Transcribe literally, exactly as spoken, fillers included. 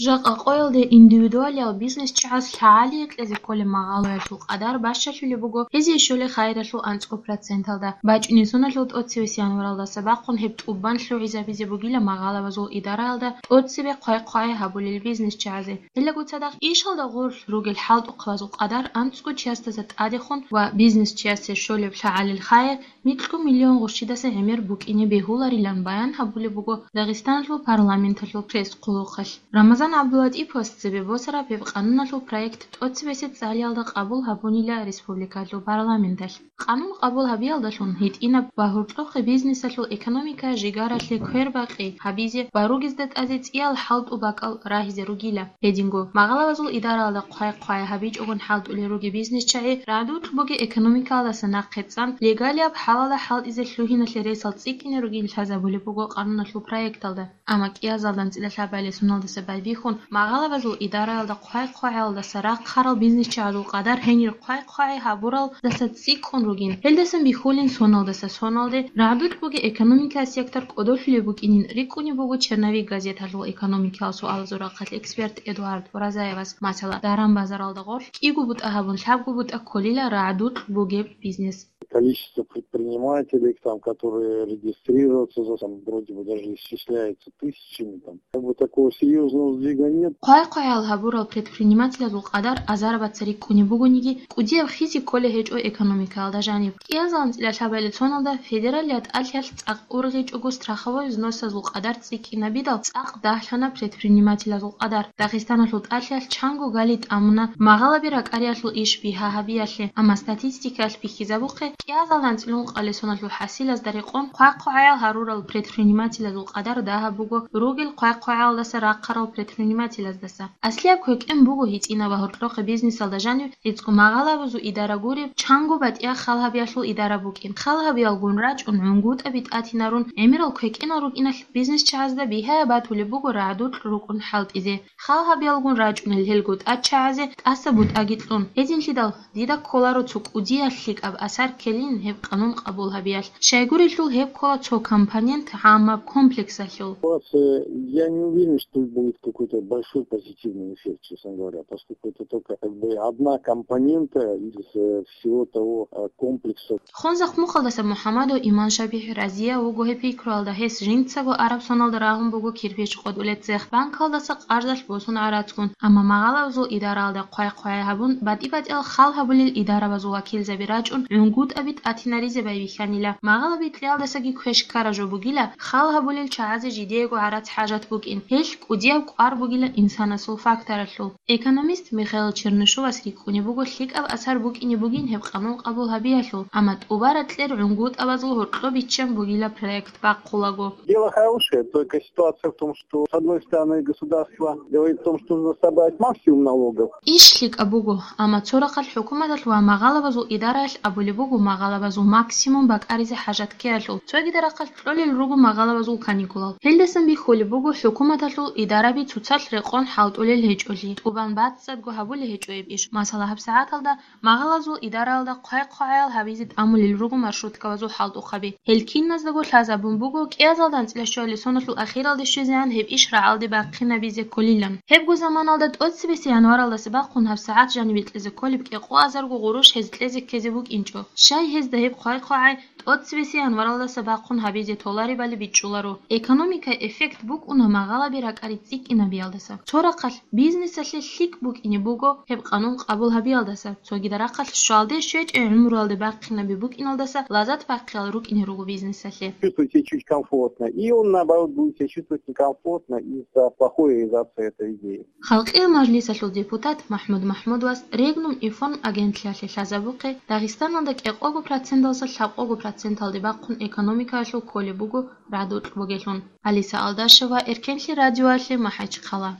Жакъа къоялде индивидуалиял бизнесчагӀаз лъагӀалие кьезе кколеб магъалаялъул къадар бащалъулеб буго гьезие щолеб хайиралъул анцӀго проценталда. БачӀунеб соналъул тӀоцебесеб январалдаса бахъун гьеб тӀубан лъугӀизабизе бугила магъалабазул идараялда тӀоцебе хъвай-хъвагӀи гьабулел бизнесчагӀазе. Гьелдаса цадахъ ишалда гъорлъ ругел хӀалтӀухъабазул къадар анцӀго чиясдаса тӀадехун ва бизнесчиясе щолеб лъагӀалил хайир микьго миллион гъущидаса гӀемер букӀине бегьуларилан баян гьабулеб буго Дагъистаналъул парламенталъул пресс-хъулухъалъ. Рамазан ГӀабдулатӀиповас цебе босараб гьеб къануналъул проект тӀоцебесеб цӀалиялда къабул гьабунила республикалъул парламенталъ. Къанун къабул гьабиялдалъун гьитӀинаб ва гьоркьохъеб бизнесалъул экономика жигаралъе квербакъи гьабизе ва ругезда тӀазе цӀиял хӀалтӀу бакӀал рагьизе ругила. Гьединго, магъалабазул идараялда хъвай-хъвай гьабичӀогун хӀалтӀулел ругел бизнесчагӀи рагӀдулъ бугеб экономикаялдаса нахъе цӀан, легалияб хӀалалда хӀалтӀизе лъугьиналъе ресал цӀикӀкӀине ругин лъазабулеб буго къануналъул проекталда. Амма кӀиазалда анцӀила лъабабилеб соналдаса байбихьун, магъалабазул идараялда хъвай-хъвагӀиялдаса рахъарал бизнесчагӀазул къадар гьенир хъвай-хъвагӀи гьабуралдаса цӀикӀкӀун ругин. Гьелдасан бихьулин соналдаса соналде рагӀдулъ бугеб экономикаялъ сектор кӀодолъулеб букӀинин рикӀкӀунеб буго «Черновик» газеталъул экономикиял суалазул рахъалъ эксперт Эдуард Уразаевас. Масала, даран-базаралда гъорлъ кӀиго бутӀа гьабун, лъабго бутӀа кколила рагӀдулъ бугеб бизнес. Количество предпринимателей, там, которые регистрируются, за- там вроде бы даже исчисляется тысячами, там. Как бы такого серьёзного сдвига нет. Хъвай-хъвагӀиял гьабурал предпринимателазул къадар азарабаца рикӀкӀунеб бугониги, кӀудияб хиси кколей гьечӀо экономикаялда жаниб. КӀиазалда анцӀила лъабабилеб соналда федералияб тӀалъиялъ цӀакъ ургъичӀого страховой взносазул къадар цӀикӀкӀинабидал цӀакъ дагьлъана предпринимателазул къадар. Дагъистаналъул тӀалъиялъ чанго гали тӀамуна магъалаби ракӀариялъул иш бигьа гьабиялъе, амма статистикаялъ бихьизабухъе, кӀиазалда анцӀила ункъабилеб соналъул хӀасилазда рекъон хъвай-хъвагӀиял гьарурал предпринимателазул къадар дагьаб буго ругел хъвай-хъвагӀиялдаса рахъарал предпринимателаздаса. Аслияб квекӀен буго гьитӀинаб ва гьоркьохъеб бизнесалда жанив гӀицӀго магъалабазул идара гуреб, чанго батӀияб хал гьабиялъул идара букӀин. Хал гьабиялгун рачӀун гӀунгутӀаби тӀатинарун гӀемерал квекӀенал рукӀиналъ бизнесчагӀазда бигьаяб батулеб буго рагӀдулъ рукӀун хӀалтӀизе. Хал гьабиялгун рачӀунел гьелго тӀадчагӀазе тӀаса бутӀаги кьун. Гьединлъидал дида кколаро цо кӀудияб лъикӀаб асар ккелин гьеб къанун къабул гьабиялъ. Щайгурелъул гьеб ккола цо компонент гӀаммаб комплексалъул. У вас, э, я не уверен, что будет какой-то большой позитивный эффект, честно говоря, поскольку это только как бы одна компонента из, э, всего того, э, комплекса. Хунзахъ мухъалдаса МухӀаммадов Иман ШабихӀ разияв вуго гьеб пикруялда, гьес жинцаго араб соналда рагьун буго кирпич къотӀулеб цех, банкалдаса къарзалъ босун гӀарацгун, амма магъалабазул идараялда хъвай-хъвай гьабун, батӀи-батӀиял хал гьабулел идарабазул вакилзаби рачӀун, гӀунгутӀаби тӀатинаризе байбихьанила. Магъалаби кьеялдасаги квеш ккара жо бугила, хал гьабулел чагӀазе жидеего гӀарац хӀажат букӀин, гьелъ кӀудияб кӀвар бугила инсанасул факторалъул. Экономист Михаил Чернышовас рикӀкӀунеб буго лъикӀаб асар букӀине бугин гьеб къанун къабул гьабиялъул, амма тӀубараб кьер гӀунгутӀабазул гьоркьоб биччан бугила проект бахъулаго. Дело хорошее, только ситуация в том, что, с одной стороны, государство говорит о том, что нужно собрать максимум налогов. Иш лъикӀаб буго, амма цо рахъалъ хӀукуматалъ ва магъалабазул идараялъ абулеб буго магъалабазул максимум бакӀаризе хӀажат ккеялъул, цогидаб рахъалъ кьолел руго магъалабазул каникулал. Гьелдасан бихьулеб буго хӀукуматалъул идараби цоцалъ рекъон хӀалтӀулел гьечӀолъи, тӀубан бацӀцӀадго гьабулеб гьечӀо гьеб иш. Масала, гьабсагӀаталда магъалазул идараялда хъвай-хъвагӀиял гьабизе тӀамулел руго маршруткабазул хӀалтӀухъаби. Гьел киназдаго лъазабун буго, кӀиазалда анцӀила щуабилеб соналъул ахиралде щвезегӀан гьеб иш рагӀалде бахъинабизе кколилан. Гьебго заманалда тӀоцебесеб январалдаса бахъун гьабсагӀат жанибе кьезе кколеб кӀикъоазарго гъурущ гьез кьезе ккезе букӀинчӀо. Щай гьезда гьеб хъвай-хъвагӀай тӀоцебесеб январалдаса бахъун гьабизе толаребали бичӀчӀуларо. Экономикай эффект букӀуна магъалаби ракӀари цӀикӀкӀинабиялдаса. Цо рахъалъ бизнесалъе лъикӀ букӀине буго гьеб къанун къабул гьабиялдаса, цогидаб рахъалъ щвалде щвечӀеб гӀумруялде бахъинаби букӀиналдаса лазат бахъиялъ рукӀине руго бизнесалъе. Чувствует себя чуть комфортно, и он, наоборот, будет себя чувствовать некомфортно из-за плохой реализации этой идеи. Халкъиял мажлисалъул депутат МахӀмуд МахӀмудовас Регнум информ агентлъиялъе лъазабухъе, Дагъистаналда кӀикъого проценталдаса лъабкъого проценталде бахъун экономикаялъул кколеб буго рагӀдукь бугелъун. Алиса Алдашева, Эркенлъи радиоялъе, МахӀачхъала.